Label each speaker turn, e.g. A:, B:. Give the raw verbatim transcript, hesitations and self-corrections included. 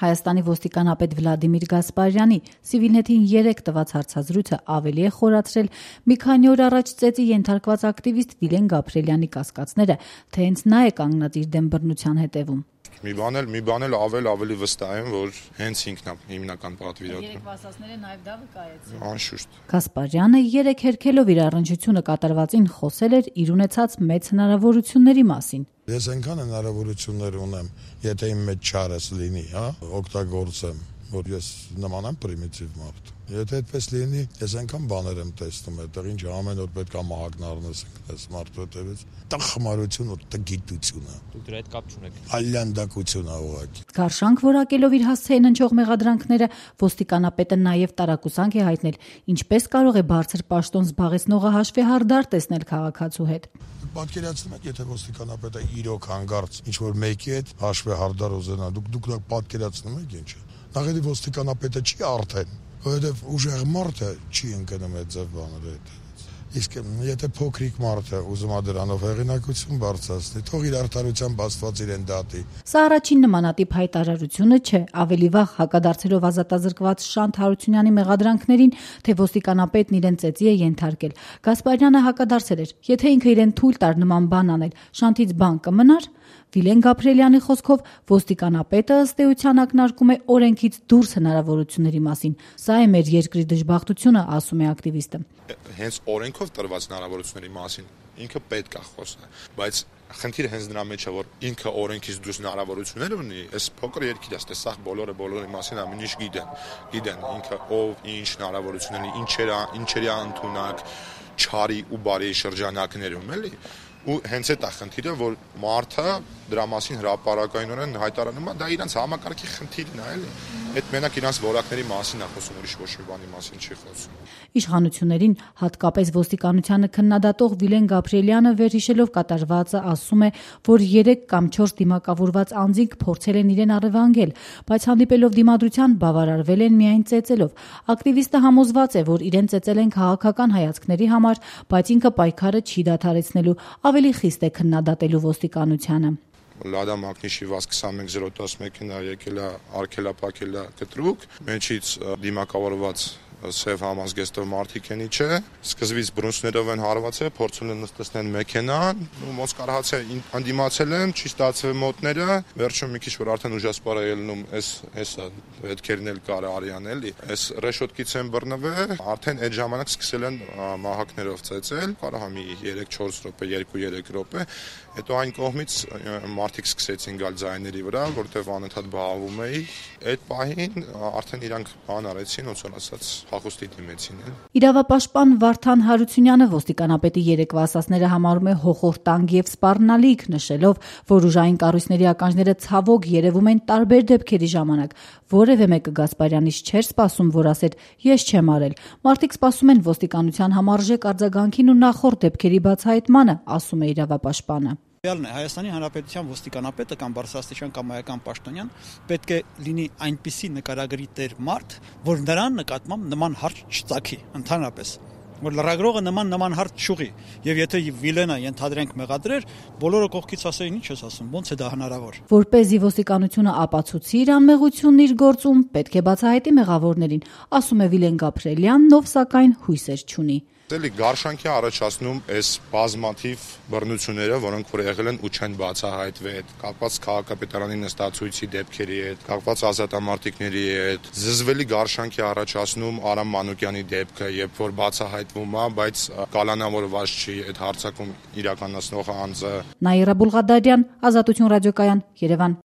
A: Հայաստանի ոստիկանապետ Վլադիմիր Գասպարյանի Civilnet-ին երեկ տված հարցազրույցը ավելի է խորացրել մի քանի օր առաջ ծեծի ենթարկված ակտիվիստ Վիլեն Գաբրիելյանի կասկածները, թե հենց նա է կանգնած իր դեմ բռնության հետևում։
B: Մի բան էլ, մի բան էլ ավել ավելի վստահ եմ, որ հենց ինքն է հիմնական պատվիրատու։
A: Երեք ասածները նաև դա վկայեցին։
B: Անշուշտ։
A: Գասպարյանը երեք հերքելով իր առնչությունը կատարվածին խոսել էր իր ունեցած մեծ հնարավորությունների մասին։
C: Ես այնքան հնարավորություններ ունեմ, եթե իմ մեջ չարս լինի, հա, օգտագործեմ, որ ես նման եմ պրիմիտիվ մարդ։ Եթե այդպես լինի, ես այնքան բաներ եմ տեսնում այդտեղ, ինչ ամեն օր պետք է մահակն առնես այս մարդու հետևից։ Տխմարություն ու տգիտությունը։
D: Դուք դրա հետ կապ չունեք։
C: Այլանդակություն է ուղղակի։
A: Գարշանք որակելով իր հասցեին հնչող մեղադրանքները, ոստիկանապետը նաև տարակուսանք է հայտնել, ինչպես կարող է բարձր պաշտոն զբաղեցնողը հաշվեհարդար տեսնել քաղաքացու հետ։
C: Պատկերացնում եք, եթե ոստիկանապետը իրոք հանգարց ինչ որ մեկի հետ հաշվեհարդար ուզենա, դուք դուք պատկերացնում եք ինչ է։ Նախ ոստիկանապետը չի արդեն, որովհետև ուժեղ մարդը չի ընկնում այդ ձև բաները հետ։ Իսկ եթե փոքրիկ մարդը ուզում է դրանով հեղինակություն բարձրացնի, թող իր արդարության բացված իրեն դատի։
A: Սա առաջին նմանատիպ հայտարարությունը չէ, ավելի վաղ հակադարձելով ազատազրկված Շանթ Հարությունյանի մեղադրանքներին, թե ոստիկանապետն իրեն ծեծի է ենթարկել, Գասպարյանը հակադարձել էր, եթե ինքը իրեն թույլ տար նման բան անել, Շանթից բան կմնար։ Վիլեն Գաբրիելյանի խոսքով ոստիկանապետը ըստ էության ակնարկում է օրենքից դուրս հնարավորությունների մասին։ Սա է մեր երկրի դժբախտությունը, ասում է ակտիվիստը։
B: Հենց օրենքով տրված հնարավորությունների մասին ինքը պետք է խոսի, բայց խնդիրը հենց դրա մեջ է, որ ինքը օրենքից դուրս հնարավորություններ ունի, այս փոքր երկիրը, այստեղ բոլորը բոլորի մասին ամեն ինչ գիտեն, գիտեն ինքը ով ինչ հնարավորություններ ունի, ինչեր ինչերի ընդունակ, չարի ու բարի շրջանակներում, էլի։ Ու հենց այդ է խնդիրը, որ մարդը դրա մասին հրապարակայնորեն հայտարարում է, դա իրանց համակարգի խնդիրն է, էլի։ Այդ մենակ իրանց որակների մասին է խոսում, ուրիշ ոչ մի բանի մասին չի խոսում։
A: Իշխանություններին, հատկապես ոստիկանությանը քննադատող Վիլեն Գաբրիելյանը վերհիշելով կատարվածը ասում է, որ երեք կամ չորս դիմակավորված անձինք փորձել են իրեն առևանգել, բայց հանդիպելով դիմադրության բավարարվել են միայն ծեծելով։ Ակտիվիստը համոզված է, որ իրեն ծեծել են քաղաքական հայացքների համար, բայց ինքը պայքարը չի դադարեցնելու, ավելի խիստ է քննադատելու ոստիկանությանը։
B: Լադա Մակնիշի վազ քսանմեկ զիրո տասնմեկն եկել է արկելապակել է կտրուկ, մեջից դիմակավորված սև համազգեստով մարդիկ են իջե, սկզբից բրունսներով են հարվածել, փորձել են նստեցնել մեքենան, ու ոնց կարողաց է անդիմացել են, չի ստացվել մոտները, վերջում մի քիչ որ արդեն ուժասպառ է ելնում, այս հեսա հետքերն էլ կար արյան էլի, այս ռեշոտկից են բռնվել, արդեն այդ ժամանակ սկսել են մահակներով ծեծել, կարող է մի երեք չորս րոպե, երկու երեք րոպե, հետո այն կողմից մարդիկ սկսեցին գալ ձայների վրա, որտեղ անընդհատ բաղվում էի, այդ պահին արդեն իրանք բան արեցին, ոնց որ ասած հախուստի դիմեցին։
A: Իրավապաշտպան Վարդան Հարությունյանը ոստիկանապետի երեկվա ասածները համարում է հոխորտանգ եւ սպառնալիք, նշելով, որ ուժային կառույցների ականջները ցավոք երևում են տարբեր դեպքերի ժամանակ։ Որևէ մեկը Գասպարյանից չէր սպասում, որ ասեր ես չեմ արել։ Մարդիկ սպասում են ոստիկանության համարժեք արձագանքին ու նախորդ դեպքերի բացահայտմանը, ասում է իրավապաշտպանը։
E: Realն է, Հայաստանի Հանրապետության ոստիկանապետը կամ բարձրաստիճան կամ այական պաշտոնյան պետք է լինի այնպիսի նկարագրի տեր մարդ, որ նրան նկատմամբ նման հարց չծագի ընդհանրապես, որ լրագրողը նման նման հարց չուղի, եւ եթե Վիլենը ենթադրենք մեղադրեր, բոլորը կողքից ասեին ինչ ես ասում, ոնց է դա հնարավոր։
A: Որպեսզի ոստիկանությունը ապացուցի իր անմեղությունն իր գործում, պետք է բացահայտի մեղավորներին, ասում է Վիլեն Գաբրիելյանն, ով սակայն հույսեր չունի։
B: Էլի գարշանքի առաջացնում այս բազմաթիվ բռնությունները, որոնք որ եղել են ու չեն բացահայտվել, կապված քաղաքապետարանի նստածույցի դեպքերի հետ, կապված ազատամարտիկների հետ, զզվելի գարշանքի առաջացնում Արամ Մանուկյանի դեպքը, երբ որ բացահայտվում է, բայց կալանավորված չի այդ հարձակում իրականացնող անձը։
A: Նաիրա Բուլղադարյան, Ազատություն ռադիոկայան, Երևան։